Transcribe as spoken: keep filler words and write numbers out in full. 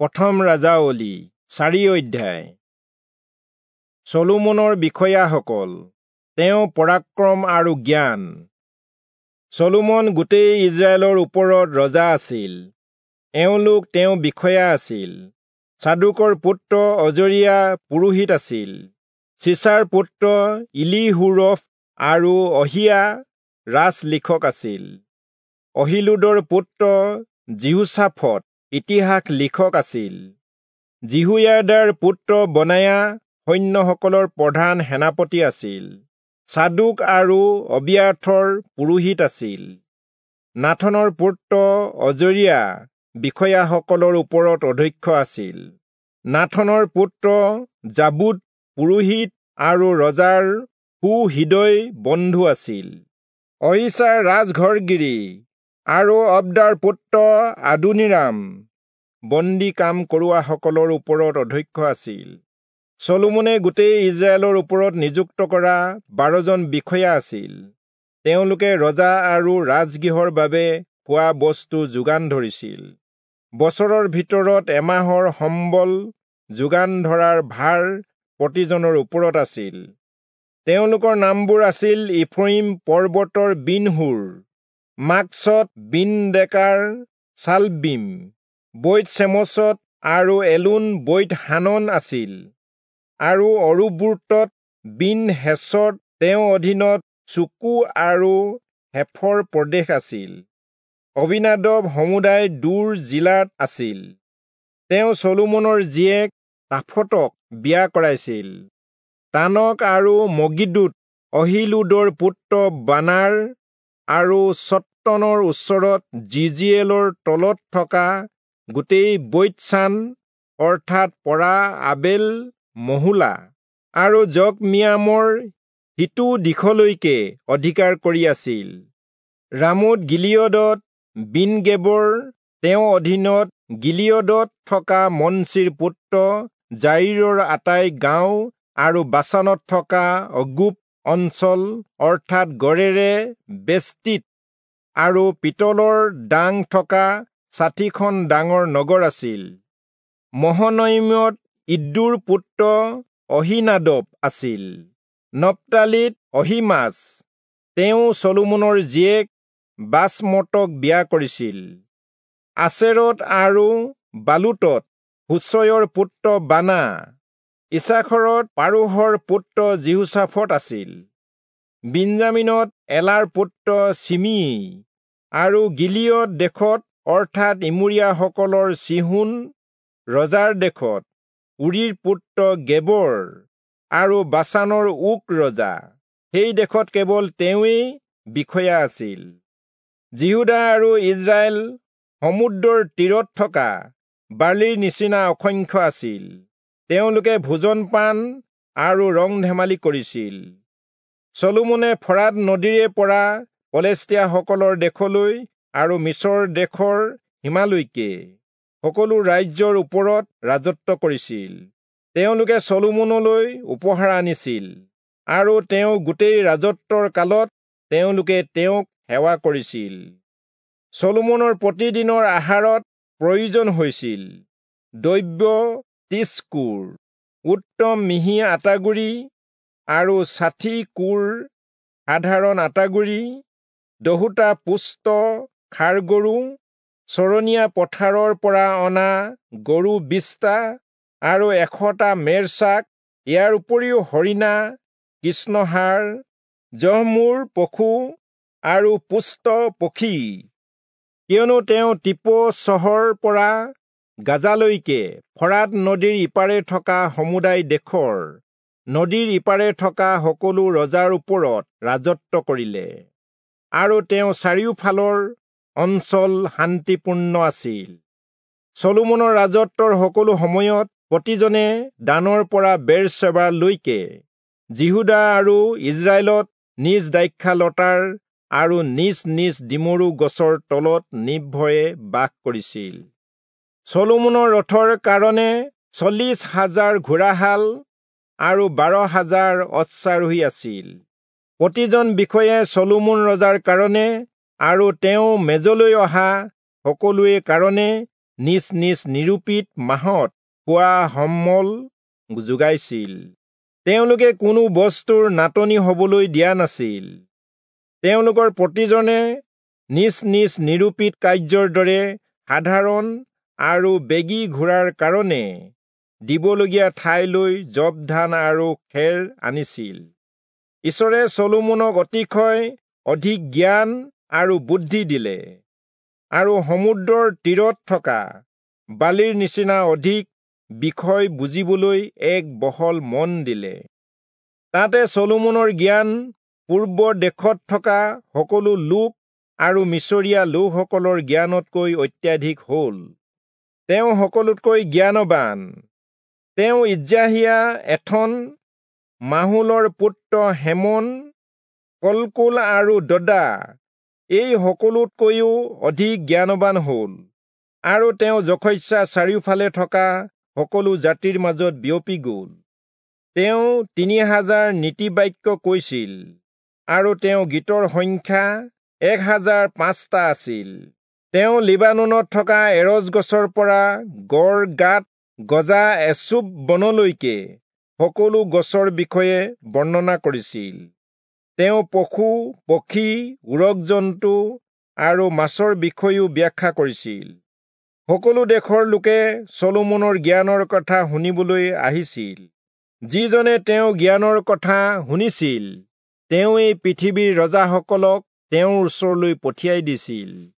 প্ৰথম ৰাজাৱলী চাৰি অধ্যায়। চলোমনৰ বিষয়াসকল, তেওঁ পৰাক্ৰম আৰু জ্ঞান। চলোমন গোটেই ইজৰাইলৰ ওপৰত ৰজা আছিল। এওঁলোক তেওঁ বিষয়া আছিল। চাদোকৰ পুত্ৰ অজৰিয়া পুৰোহিত আছিল। চিচাৰ পুত্ৰ ইলিহূৰফ আৰু অহিয়া ৰাজলিখক আছিল। অহিলুদৰ পুত্ৰ যিহোচাফট ইতিহাস লিখক আছিল। যিহোয়াদাৰ পুত্ৰ বনায়া সৈন্যসকলৰ প্ৰধান সেনাপতি আছিল। চাদোক আৰু অবিয়াথৰ পুৰোহিত আছিল। নাথনৰ পুত্ৰ অজৰিয়া বিষয়াসকলৰ ওপৰত অধ্যক্ষ আছিল। নাথনৰ পুত্ৰ যাবুদ পুৰোহিত আৰু ৰজাৰ সুহৃদয় বন্ধু আছিল। অহীচাৰ ৰাজঘৰগিৰি আৰু অব্দাৰ পুত্ৰ আদোনীৰাম বন্দী কাম কৰোৱাসকলৰ ওপৰত অধ্যক্ষ আছিল। চলোমনে গোটেই ইজৰাইলৰ ওপৰত নিযুক্ত কৰা বাৰজন বিষয়া আছিল। তেওঁলোকে ৰজা আৰু ৰাজগৃহৰ বাবে খোৱা বস্তু যোগান ধৰিছিল। বছৰৰ ভিতৰত এমাহৰ সম্বল যোগান ধৰাৰ ভাৰ প্ৰতিজনৰ ওপৰত আছিল। তেওঁলোকৰ নামবোৰ আছিল ইফ্ৰয়িম পৰ্বতৰ বিনহূৰ, মাকচত বিন-ডেকাৰ শালবীম, বৈৎ-চেমচত আৰু এলোন বৈৎ-হানন আছিল, আৰু অৰুব্বোতত বিন-হেচদ, তেওঁৰ অধীনত চোকো আৰু হেফৰ প্ৰদেশ আছিল। অবীনাদব সমুদায় দূৰ জিলাত আছিল। তেওঁ চলোমনৰ জীয়েক তাফতক বিয়া কৰাইছিল। তানক আৰু মগিদ্দোত অহীলূদৰ পুত্ৰ বানাৰ আৰু চট্টনৰ ওচৰত যিজিয়েলৰ তলত থকা গোটেই বৈৎচান অৰ্থাৎ পৰা আবেল মহোলা আৰু যকমিয়ামৰ সিটো দিশলৈকে অধিকাৰ কৰি আছিল। ৰামোত গিলিয়দত বিনগেবৰ, তেওঁৰ অধীনত গিলিয়দত থকা মনচিৰ পুত্ৰ যায়ীৰৰ আটাই গাঁও আৰু বাচানত থকা অৰ্গোব অঞ্চল অৰ্থাৎ গড়েৰে বেষ্টিত আৰু পিতলৰ ডাং থকা ষাঠিখন ডাঙৰ নগৰ আছিল। মহনয়িমত ইদ্দোৰ পুত্ৰ অহীনাদব আছিল। নপ্তালিত অহীমাচ, তেওঁ চলোমনৰ জীয়েক বাচমতক বিয়া কৰিছিল। আচেৰত আৰু বালুতত হুচয়ৰ পুত্ৰ বানা, ইচাখৰত পাৰোহৰ পুত্ৰ যিহোচাফট আছিল। বিন্যামীনত এলাৰ পুত্ৰ চিমিয়ী আৰু গিলিয়দ দেশত অৰ্থাৎ ইমোৰীয়াসকলৰ চীহোন ৰজাৰ দেশত উৰীৰ পুত্ৰ গেবৰ আৰু বাচানৰ ওক ৰজা, সেই দেশত কেৱল তেওঁৱেই বিষয়া আছিল। যিহূদা আৰু ইজৰাইল সমুদ্ৰৰ তীৰত থকা বালিৰ নিচিনা অসংখ্য আছিল। তেওঁলোকে ভোজন পান আৰু ৰং ধেমালি কৰিছিল। চলোমনে ফৰাত নদীৰে পৰা পলেষ্টীয়াসকলৰ দেশলৈ আৰু মিচৰ দেশৰ সীমালৈকে সকলো ৰাজ্যৰ ওপৰত ৰাজত্ব কৰিছিল। তেওঁলোকে চলোমনলৈ উপহাৰ আনিছিল আৰু তেওঁ গোটেই ৰাজত্বৰ কালত তেওঁলোকে তেওঁক সেৱা কৰিছিল। চলোমনৰ প্ৰতিদিনৰ আহাৰত প্ৰয়োজন হৈছিল দ্ৰব্য ত্ৰিশ কোৰ, উত্তম মিহি আটাগুড়ি আৰু ষাঠি কোৰ সাধাৰণ আটাগুড়ি, দহোটা পুষ্ট ষাঁড় গৰু, চৰণীয়া পথাৰৰ পৰা অনা গৰু বিশটা আৰু এশটা মেৰছাক, ইয়াৰ উপৰিও হৰিণা, কৃষ্ণষাঁড়, জহমূৰ পশু আৰু পুষ্ট পক্ষী। কিয়নো তেওঁ টিপো চহৰ পৰা গাজালৈকে ফৰাত নদীৰ ইপাৰে থকা সমুদায় দেশৰ নদীৰ ইপাৰে থকা সকলো ৰজাৰ ওপৰত ৰাজত্ব কৰিলে, আৰু তেওঁ চাৰিওফালৰ অঞ্চল শান্তিপূৰ্ণ আছিল। চলোমনৰ ৰাজত্বৰ সকলো সময়ত প্ৰতিজনে দানৰ পৰা বেৰচেবালৈকে যিহূদা আৰু ইজৰাইলত নিজ দ্ৰাক্ষালতাৰ আৰু নিজ নিজ ডিমৰু গছৰ তলত নিৰ্ভয়ে বাস কৰিছিল। চলোমনৰ ৰথৰ কাৰণে চল্লিশ হাজাৰ ঘোঁৰাশাল আৰু বাৰ হাজাৰ অশ্বাৰোহী আছিল। প্ৰতিজন বিষয়াই চলোমন ৰজাৰ কাৰণে আৰু তেওঁ মেজলৈ অহা সকলোৰে কাৰণে নিজ নিজ নিৰূপিত মাহত খোৱা সম্বল যোগাইছিল। তেওঁলোকে কোনো বস্তুৰ নাটনি হবলৈ দিয়া নাছিল। তেওঁলোকৰ প্ৰতিজনে নিজ নিজ নিৰূপিত কাৰ্যৰ দৰে সাধাৰণ আৰু বেগী ঘোঁৰাৰ কাৰণে দিবলগীয়া ঠাইলৈ যৱ ধান আৰু খেৰ আনিছিল। ঈশ্বৰে চলোমনক অতিশয় অধিক জ্ঞান আৰু বুদ্ধি দিলে আৰু সমুদ্ৰৰ তীৰত থকা বালিৰ নিচিনা অধিক বিষয় বুজিবলৈ এক বহল মন দিলে। তাতে চলোমনৰ জ্ঞান পূৰ্ব দেশত থকা সকলো লোক আৰু মিচৰীয়া লোকসকলৰ জ্ঞানতকৈ অত্যাধিক হ'ল। তেওঁ সকলোতকৈ জ্ঞানৱান। তেওঁ ইজ্ৰাহীয়া এথন, মাহোলৰ পুত্ৰ হেমন, কলকোল আৰু দদা এই সকলোতকৈও অধিক জ্ঞানৱান হ'ল আৰু তেওঁ যশস্যা চাৰিওফালে থকা সকলো জাতিৰ মাজত বিয়পি গ'ল। তেওঁ তিনি হাজাৰ নীতিবাক্য কৈছিল আৰু তেওঁ গীতৰ সংখ্যা এক হাজাৰ পাঁচটা আছিল। তেওঁ লিবানোনত থকা এৰজ গছৰ পৰা গড় গাত গজা এচুপ বনলৈকে সকলো গছৰ বিষয়ে বৰ্ণনা কৰিছিল। তেওঁ পশু, পক্ষী, উৰগ জন্তু আৰু মাছৰ বিষয়েও ব্যাখ্যা কৰিছিল। সকলো দেশৰ লোকে চলোমনৰ জ্ঞানৰ কথা শুনিবলৈ আহিছিল। যিজনে তেওঁ জ্ঞানৰ কথা শুনিছিল, তেওঁ এই পৃথিৱীৰ ৰজাসকলক তেওঁৰ ওচৰলৈ পঠিয়াই দিছিল।